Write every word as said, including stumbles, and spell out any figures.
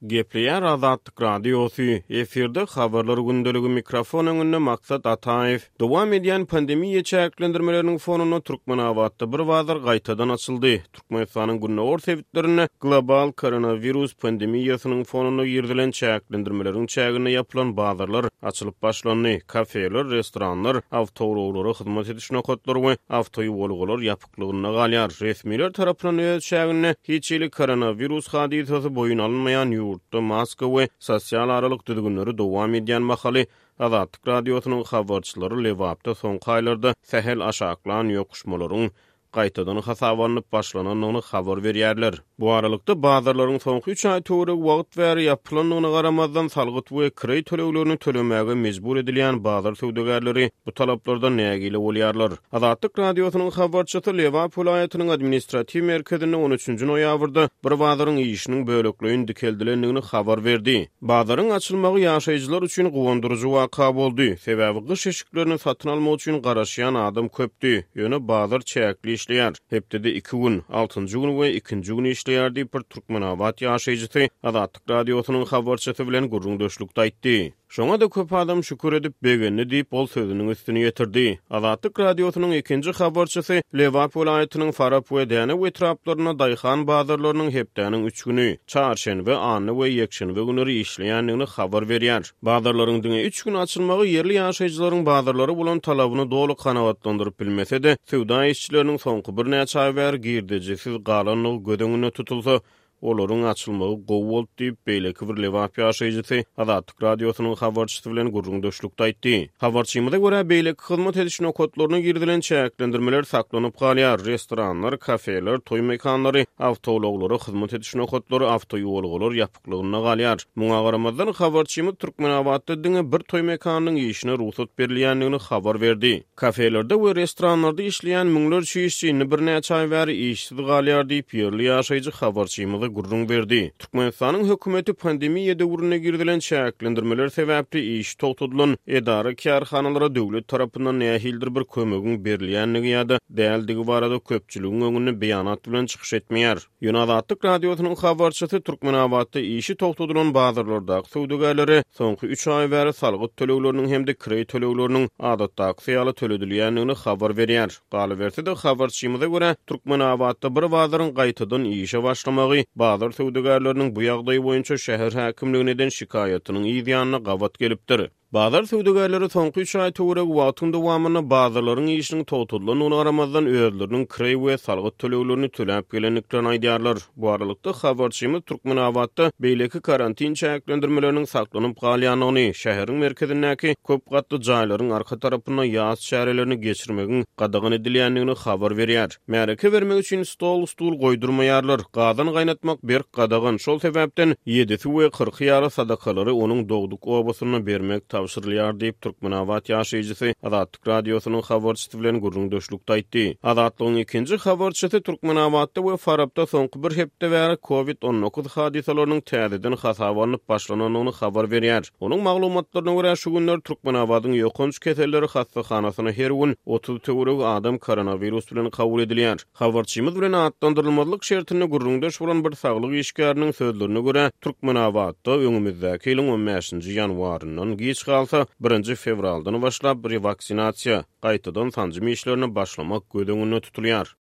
Gepleýär Azatlyk Radiosy, efirde Habarlar gündeligi, mikrofon öňünde Maksat Ataýew. Dowam edýän pandemiýa çäklendirmeleriniň fonunda Türkmenabatda bir bazar gaýtadan açyldy. Türkmenistanyň gündogar sebitlerinde global koronawirus pandemiýasynyň fonunda girizilen çäklendirmeleriň çäginde ýapylan bazarlar açylyp başlandy. Kafeler, restoranlar, awtoulaglara hyzmat ediş nokatlary we awtoýuwalgalar ýapyklygynda galýar. Resmiler tarapyndan öz çäginde hiç hili koronawirus hadysasy boýun alynmaýan ýurtda maska we sosial aralyk düzgünleri dowam edýän mahaly Azatlyk Radiosynyň habarçylary Lebapda soňky aýlarda sähel aşaklan ýokuşmalaryň gaýtadan hasaba alnyp başlanandygyny habar berýärler. Bu aralykda bazarlaryň soňky üç aý töweregi wagt bäri ýapylandygyna garamazdan salgyt we kireý töleglerini tölemäge mejbur edilýän bazar söwdagärleri bu talaplardan nägile bolýarlar. Azatlyk Radiosynyň habarçysy Lebap welaýatynyň administratiw merkezinde on üçünji noýabrda bir bazaryň işiniň bölekleýin dikeldilendigini habar berdi. Bazaryň açylmagy ýaşaýjylar üçin guwandyryjy waka boldy. Sebäbi gyş eşiklerini satyn almak üçin garaşýan adam köpdi. Ýöne bazar çäkli işleýär. Hepdede iki gün, altynjy gün we ikinji gün işleýär diýip bir Türkmenabat ýaşaýjysy Azatlyk Radiosynyň habarçysy bilen gürrüňdeşlikde aýtdy. Şoňa-da köp adam şükür edip begendi diýip, ol sözüniň üstüni ýetirdi. Azatlyk Radiosynyň ikinji habarçysy Lebap welaýatynyň Farap we Dänew etraplarynda daýhan bazarlarynyň hepdäniň üç güni, çarşenbe, anna we ýekşenbe günleri işleýändigini habar berýär. Bazarlaryň diňe üç gün açylmagy ýerli ýaşaýjylaryň bazarlara bolan talabyny doly kanagatlandyryp bilmese-de, söwda işçileriniň soňky birnäçe aý bäri girdejisiz galandygy göz öňünde tutulsa, olaryň açylmagy gowy boldy diýip, beýleki bir Lebap ýaşaýjysy Azatlyk Radiosynyň habarçysy bilen gürrüňdeşlikde aýtdy. Habarçymyza görä, beýleki hyzmat ediş nokatlaryna girizilen çäklendirmeler saklanyp galýar. Restoranlar, kafeler, toý mekanlary, awtoulaglara hyzmat ediş nokatlary, awtoýuwalgalar ýapyklygynda galýar. Muňa garamazdan, habarçymyz Türkmenabatda diňe bir toý mekanynyň işine rugsat berilýändigini habar berdi. Kafelerde we restoranlarda işleýän müňlerçe işçi indi birnäçe aý bäri işsiz galýar diýip, ýerli ýaşaýjy habarçymyza gürrüň berdi. Türkmenistanyň hökümeti pandemiýa döwründe girizilen çäklendirmeler sebäpli işi togtadylan edara-kärhanalara döwlet tarapyndan nähilidir bir kömegiň berilýändigi ýa-da däldigi barada köpçüligiň öňünde beýanat bilen çykyş etmeýär. Ýöne Azatlyk Radiosynyň habarçysy Türkmenabatda işi togtadylan bazarlardaky söwdagärlere soňky üç aý bäri salgyt tölegleriniň hem-de kireý tölegleriniň adatdakysy ýaly töledilýändigini habar berýär. Galyberse-de, habarçymyza görä, Türkmenabatda bir bazaryň gaýtadan işe başlamagy bazar söwdagärleriniň bu ýagdaý boýunça şäher häkimligine eden şikaýatynyň yz ýanyna gabat gelipdir. Bazar söwdagärleri soňky üç aý töweregi wagtyň dowamynda bazarlaryň işiniň togtadylandygyna garamazdan özleriniň kireý we salgyt töleglerini töläp gelendiklerini aýdýarlar. Bu aralykda habarçymyz Türkmenabatda beýleki karantin çäklendirmeleriniň saklanyp galýandygyny, şäheriň merkezindäki köp gatly jaýlaryň arka tarapynda ýas çärelerini geçirmegiň gadagan edilýändigini habar berýär. Märeke bermek üçin stol-stul goýdurmaýarlar, gazan gaýnatmak berk gadagan, şol sebäpden ýedisi we kyrky ýaly sadakalary onuň dogduk obasynda bermek tabşyrylýar diýip, Türkmenabat ýaşaýjysy Azatlyk Radiosynyň habarçysy bilen gürrüňdeşlikde aýtdy. Azatlygyň ikinji habarçysy Türkmenabatda we Farapda soňky bir hepde bäri kovid on dokuz hadysalarynyň täzeden hasaba alnyp başlanandygyny habar berýär. Onuň maglumatlaryna görä, şu günler Türkmenabadyň ýokanç keselleri hassahanasyna her gün otuz töweregi adam koronawirus bilen kabul edilýär. Habarçymyz bilen atlandyrylmazlyk şertinde gürrüňdeş bolan bir saglyk işgäriniň sözlerine görä, Türkmenabatda öňümizdäki ýylyň on bäşinji ýanwaryndan giç galsa, birinji fewraldan başlap rewaksinasiýa, gaýtadan sanjym işlerine başlamak göz öňünde tutulýar.